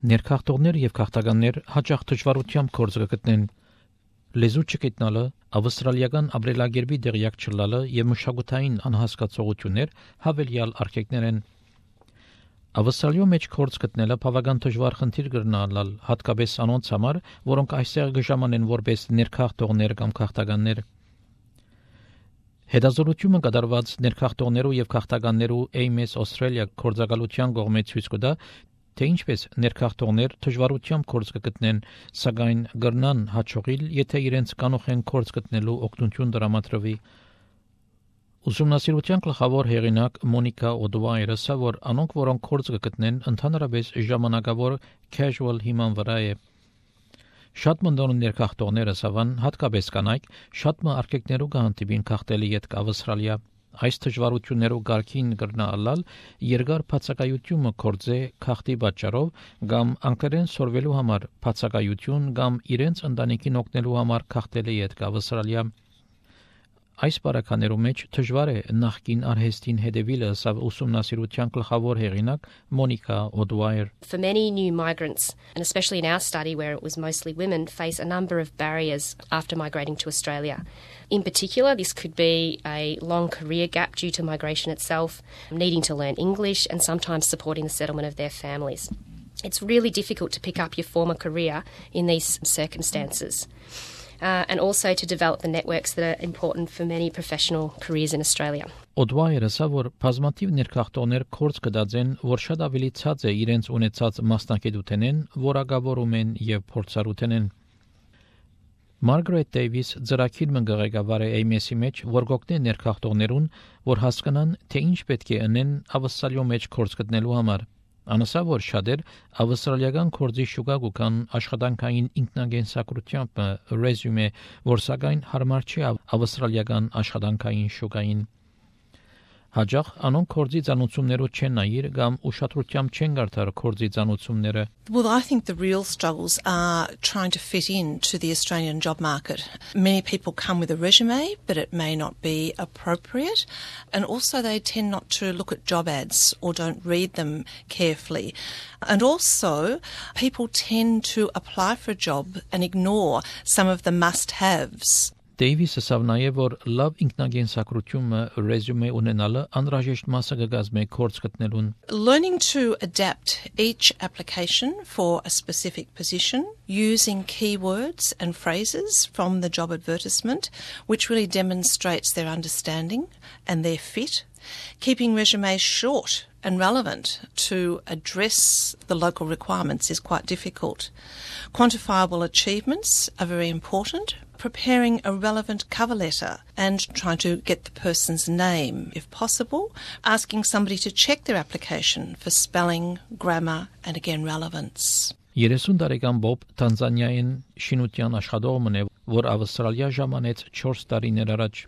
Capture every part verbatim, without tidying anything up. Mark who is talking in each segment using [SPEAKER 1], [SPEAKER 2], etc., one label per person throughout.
[SPEAKER 1] Ներքախտողներ եւ քաղաքականներ հաճախ դժվարությամբ գործ կգտնեն լեզու չգտնալը, ավստրալիական ապրելակերպի դեղյակ չլալը եւ մշակութային անհասկացողություններ հավելյալ արգելքներ են։ Ավստրալիո մեջ գործ գտնելը բավական դժվար խնդիր կրնալալ, հատկապես անոնց համար, որոնք այստեղ գժամանեն որպես ներքախտողներ կամ քաղաքականներ։ Հետազոտությունը կատարված ներքախտողներու եւ քաղաքականներու A M S Australia կորձակալության կողմից ցույց կտա, թե ինչպես ներքախտողներ դժվարությամբ գործ կգտնեն, սակայն գրնան հաջողիլ, եթե իրենց կանող են գործ գտնելու օգնություն տրամադրվի։ Ուսումնասիրության գլխավոր հեղինակ Մոնիկա Օդվայրը ասա, որ անոնք, որոնք գործ կգտնեն, ընդհանրապես ժամանակավոր casual հիման վրա է։ Շատ մնդոն ներքախտողները սավան, հատկապես կանայք, շատ մը արգելքներու կհանդիպին քաղտելի յետք Ավստրալիա։ Այս դժվարություններով գարքին կրնալալ երկար բացակայությունը կորձե քաղտի պատճառով կամ անկերեն սորվելու համար բացակայություն կամ իրենց ընտանիքին օգնելու համար քաղտելի յետք Ավստրալիա։ Այս բարականերու մեջ դժվար է նախկին արհեստին հետևելը, սա ուսումնասիրության գլխավոր հեղինակ Մոնիկա Օդվայր.
[SPEAKER 2] For many new migrants, and especially in our study where it was mostly women, face a number of barriers after migrating to Australia. In particular, this could be a long career gap due to migration itself, needing to learn English and sometimes supporting the settlement of their families. It's really difficult to pick up your former career in these circumstances. Uh, and also to develop the networks that are important for many professional careers in Australia.
[SPEAKER 1] Օդվայրը ասա, որ բազմաթիվ ներքախտողներ կորց կդածեն, որ շատ ավելի ցած է իրենց ունեցած մասնակցությունեն, որակավորում են եւ փորձառություն են։ Margaret Davis ծրագիր մգղեկավար է A M S-ի մեջ, որ գօգնի ներքախտողներուն, որ հասկանան, թե ինչ պետք է անեն Ավստրալիո մեջ կորց գտնելու համար։ Անասա որ շատեր ավստրալիական կորձի շուկա կան աշխատանքային ինքնագենսակրությամբ ռեզյումե, որ սակայն հարմար չի ավստրալիական աշխատանքային շուկային։ Հաջող անոնք կորձի ծանուցումներով չեն նայիր կամ ուշադրությամբ չեն գարտար կորձի ծանուցումները։
[SPEAKER 3] Well, I think the real struggles are trying to fit in to the Australian job market. Many people come with a resume, but it may not be appropriate. And also they tend not to look at job ads or don't read them carefully. And also people tend to apply for a job and ignore some of the must-haves.
[SPEAKER 1] Davis-ը ասավ նաև, որ լավ ինքնագենսակրությունը ռեզյումե ունենալը անհրաժեշտ մասը կգազմե կորձ գտնելուն։
[SPEAKER 3] Learning to adapt each application for a specific position using keywords and phrases from the job advertisement, which really demonstrates their understanding and their fit. Keeping resumes short and relevant to address the local requirements is quite difficult. Quantifiable achievements are very important. Preparing a relevant cover letter and trying to get the person's name, if possible. Asking somebody to check their application for spelling, grammar and again relevance.
[SPEAKER 1] երեսուն տարեկան Բոբ Տանզանիայում շինության աշխատողն է, որ Ավստրալիա ժամանեց չորս տարիներ առաջ։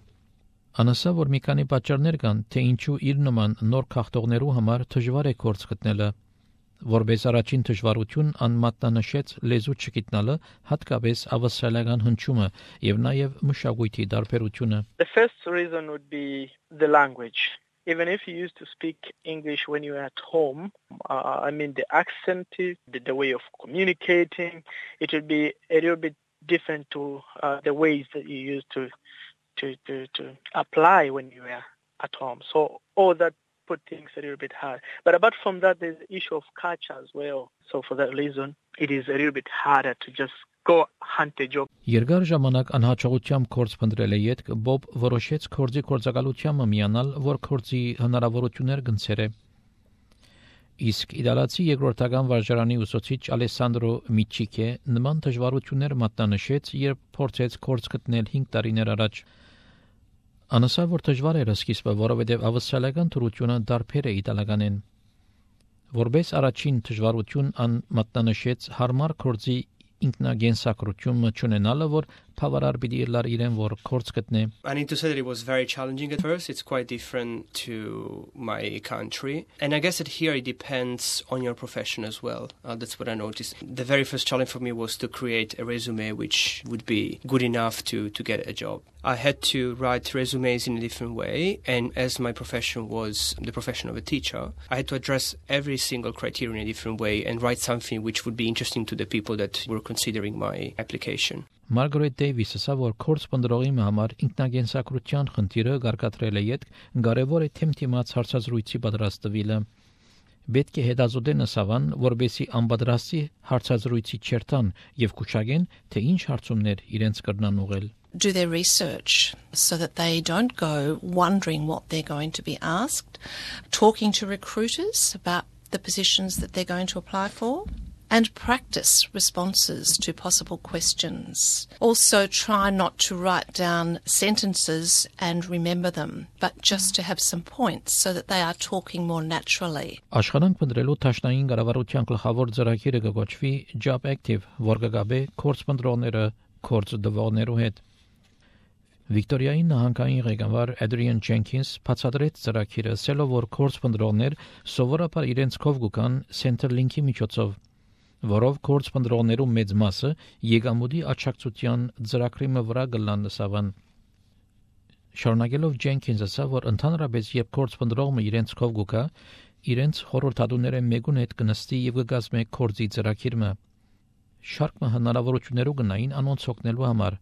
[SPEAKER 1] Անասա, որ մի քանի պատճառներ կան, թե ինչու իր նման նոր քաղաքտողներու համար դժվար է գործ գտնելը։ Որպես առաջին դժվարություն անմատնանշեց լեզու չգտնալը, հատկապես ավստրալիական հնչյունը եւ նաեւ մշակույթի տարբերությունը.
[SPEAKER 4] The first reason would be the language. Even if you used to speak English when you were at home, uh, I mean the accent, the, the way of communicating, it would be a little bit different to uh, the ways that you used to, to, to, to apply when you were at home. So all that put things a little bit hard. But apart from that, there's the issue of culture as well. So for that reason, it is a little bit harder to just go hunt a job.
[SPEAKER 1] Երկար ժամանակ անհաջողությամբ կորձ փնտրել է յետք, Բոբ որոշեց կորձի կորձակալությանը միանալ, որ կորձի հնարավորություններ գնցեր է։ Իսկ իդալացի երկրորդական վարժարանի ուսուցիչ Ալեսանդրո Միչիկե նման դժվարություններ մատնանշեց, երբ փորձեց կորձ գտնել հինգ տարիներ առաջ։ Անասա որ դժվար էր սկիզբը, որովհետև ավստրալիական թրությունը դարբեր է իտալականեն։ Որպես առաջին դժվարություն ան մատնանշեց հարմար կորձի ինքնագենսակրությունը չունենալը, որ բավարար պիտի լար իրեն որ կորց գտնե
[SPEAKER 5] I need to say that it was very challenging at first. It's quite different to my country. And I guess that here it depends on your profession as well. Uh, that's what I noticed. The very first challenge for me was to create a resume which would be good enough to, to get a job. I had to write resumes in a different way, and as my profession was the profession of a teacher, I had to address every single criteria in a different way and write something which would be interesting to the people that were considering my application.
[SPEAKER 1] Margaret Davis ասա, որ կորց պնդրողի համար ինքնագենսակրության խնդիրը գարկատրել է յետ կարևոր է թեմթիմաց հարցազրույցի պատրաստվելը։ Պետք է հետազոտեն ասավան, որբեսի անպատրաստի հարցազրույցի չերտան եւ կուշագեն, թե ինչ հարցումներ իրենց կրնան ուղել։
[SPEAKER 3] Do their research so that they don't go wondering what they're going to be asked, talking to recruiters about the positions that they're going to apply for, and practice responses to possible questions. Also try not to write down sentences and remember them, but just to have some points so that they are talking more naturally.
[SPEAKER 1] Աշխատանք փնտրելու տաշնային կառավարության գլխավոր ծրագիրը կոչվի Job Active, որ կգաբե կորց փնտրողները կորց դվողներու հետ։ Վիկտորիայի նահանգային ղեկավար Adrian Jenkins բացատրեց ծրագիրը, ասելով, որ կորց փնտրողներ սովորաբար իրենց կով գուկան Centerlink-ի միջոցով, որով կորց փնտրողներու մեծ մասը եկամուտի աճակցության ծրագրի վրա գլան լսավան։ Շարունակելով Jenkins ասա, որ ընդհանրապես երբ կորց փնտրողը իրենց կով գուկա, իրենց խորհրդատուները մեգուն հետ կնստի եւ կգազմե կորձի ծրագիրը։ Շարքը հնարավորություններով գնային անոնց օգնելու համար։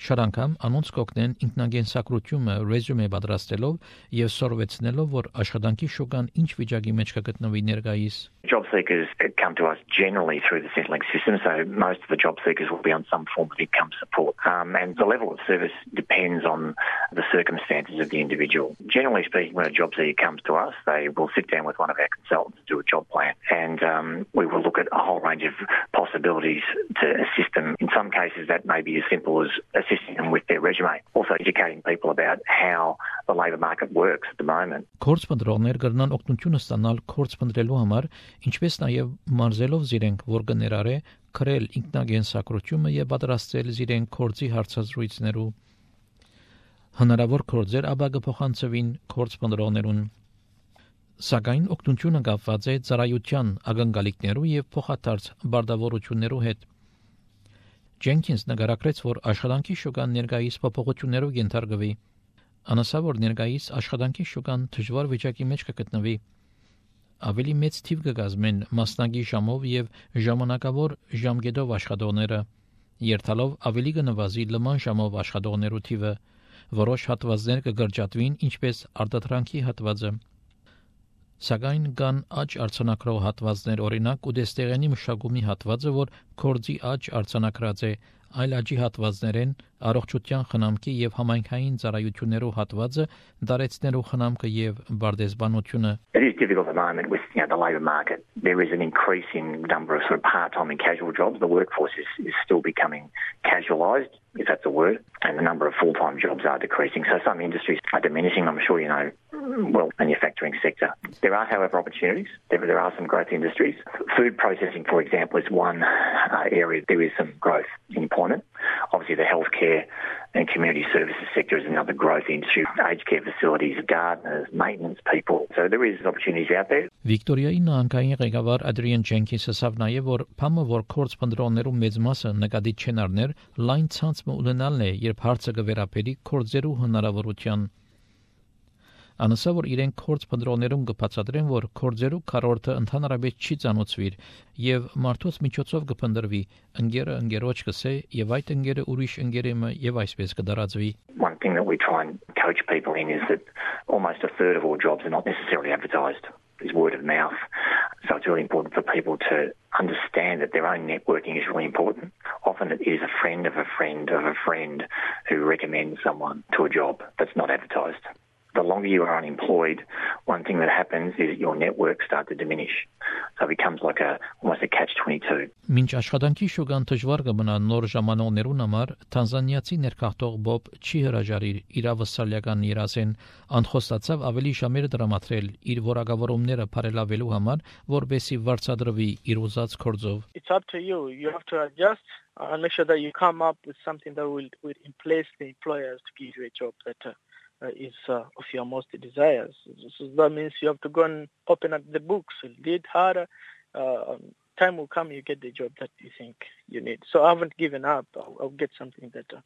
[SPEAKER 1] Շատ անգամ անոնց կօգնեն ինքնագենսակրությունը ռեզյումե պատրաստելով եւ սորվեցնելով, որ աշխատանքի շուկան ինչ վիճակի մեջ կգտնվի ներկայիս։
[SPEAKER 6] Job seekers come to us generally through the Centrelink system, so most of the job seekers will be on some form of income support. Um, and the level of service depends on the circumstances of the individual. Generally speaking, when a job seeker comes to us, they will sit down with one of our consultants to do a job plan, and um, we will look at a whole range of possibilities to assist them. In some cases, that may be as simple as assisting them with their resume, also educating people about how the labour market works at the moment.
[SPEAKER 1] Կորց փնտրողներ կրնան օգնություն ստանալ կորց փնտրելու համար, ինչպես նաև մարզելով զիրենք, որ կներառե քրել ինքնագենսակրությունը եւ պատրաստել զիրենք կորձի հարցազրույցներու։ Հնարավոր կորձեր ապա կփոխանցվին կորց փնտրողներուն։ Սակայն օգնությունը կապված է ծառայության ակնկալիքներու եւ փոխադարձ բարդավորություններու հետ։ Jenkins նկարագրեց, որ աշխատանքի շուկան ներկայիս փոփոխություններով ենթարկվի։ Անասա, որ ներկայիս աշխատանքի շուկան դժվար վիճակի մեջ կգտնվի։ Ավելի մեծ թիվ կգազմեն մասնագի ժամով եւ ժամանակավոր ժամկետով աշխատողները, երթալով ավելի կնվազի լման ժամով աշխատողներու թիվը, որոշ հատվածներ կգրջատվին, ինչպես արտադրանքի հատվածը։ Սակայն կան աճ արձանագրող հատվածներ, օրինակ ուտեստեղենի մշակումի հատվածը, որ կորձի աճ արձանագրած է, այլ աճի հատվածներ են առողջության խնամքի եւ համայնքային ծառայություններու հատվածը, դարեցներու խնամքը եւ բարդեսբանությունը։
[SPEAKER 6] It is difficult at the moment with you know, the labour market. There is an increasing number of sort of part-time and casual jobs. The workforce is, is still becoming casualised, if that's a word, and the number of full-time jobs are decreasing. So some industries are diminishing, I'm sure you know, well, manufacturing sector. There are, however, opportunities. There, there are some growth industries. Food processing, for example, is one uh, area. There is some growth in employment. Obviously, the healthcare and community services sector is another growth industry. Aged care facilities, gardeners, maintenance people. So there is opportunities out there.
[SPEAKER 1] Վիկտորիայի նահանգային ղեկավար Adrian Jenkins ասավ նաև, որ փամը որ կորց փնտրողներու մեծ մասը նկատի չեն առներ, լայն ցանցը ունենալն է, երբ հարցը կվերապերի կորձերու հնարավորության։ Անասա, որ իրենք կորց փնտրողներուն կբացատրեն, որ կորձերու քառորդը ընդհանրապես չի ծանոթվիր եւ մարդուց միջոցով կփնտրվի, ընկերը ընկերոջ կսե եւ այդ ընկերը ուրիշ ընկերը եւ այսպես կդարածվի։
[SPEAKER 6] One thing that we try and coach people in is that almost a third of all jobs are not necessarily advertised. It's word of mouth. So it's really important for people to understand that their own networking is really important. Often it is a friend of a friend of a friend who recommends someone to a job that's not advertised. The longer you are unemployed, one thing that happens is your networks start to diminish. So it becomes like a almost a catch twenty-two.
[SPEAKER 1] Մինչ աշխատանքի շուկան դժվար կմնա նոր ժամանողներուն համար, Թանզանիացի ներքախտող Բոբ չի հրաժարիր իր ավստրալիական երազեն, անխոստացավ ավելի ժամեր դրամատրել իր որակավորումները բարելավելու համար, որբեսի վարձատրվի իր ուզած գործով.
[SPEAKER 4] It's up to you. You have to adjust and make sure that you come up with something that will, will place the employers to give you a job that uh, uh, is uh, of your most desires. So that means you have to go and open up the books, read harder. Uh, time will come, you get the job that you think you need. So I haven't given up. I'll, I'll get something better.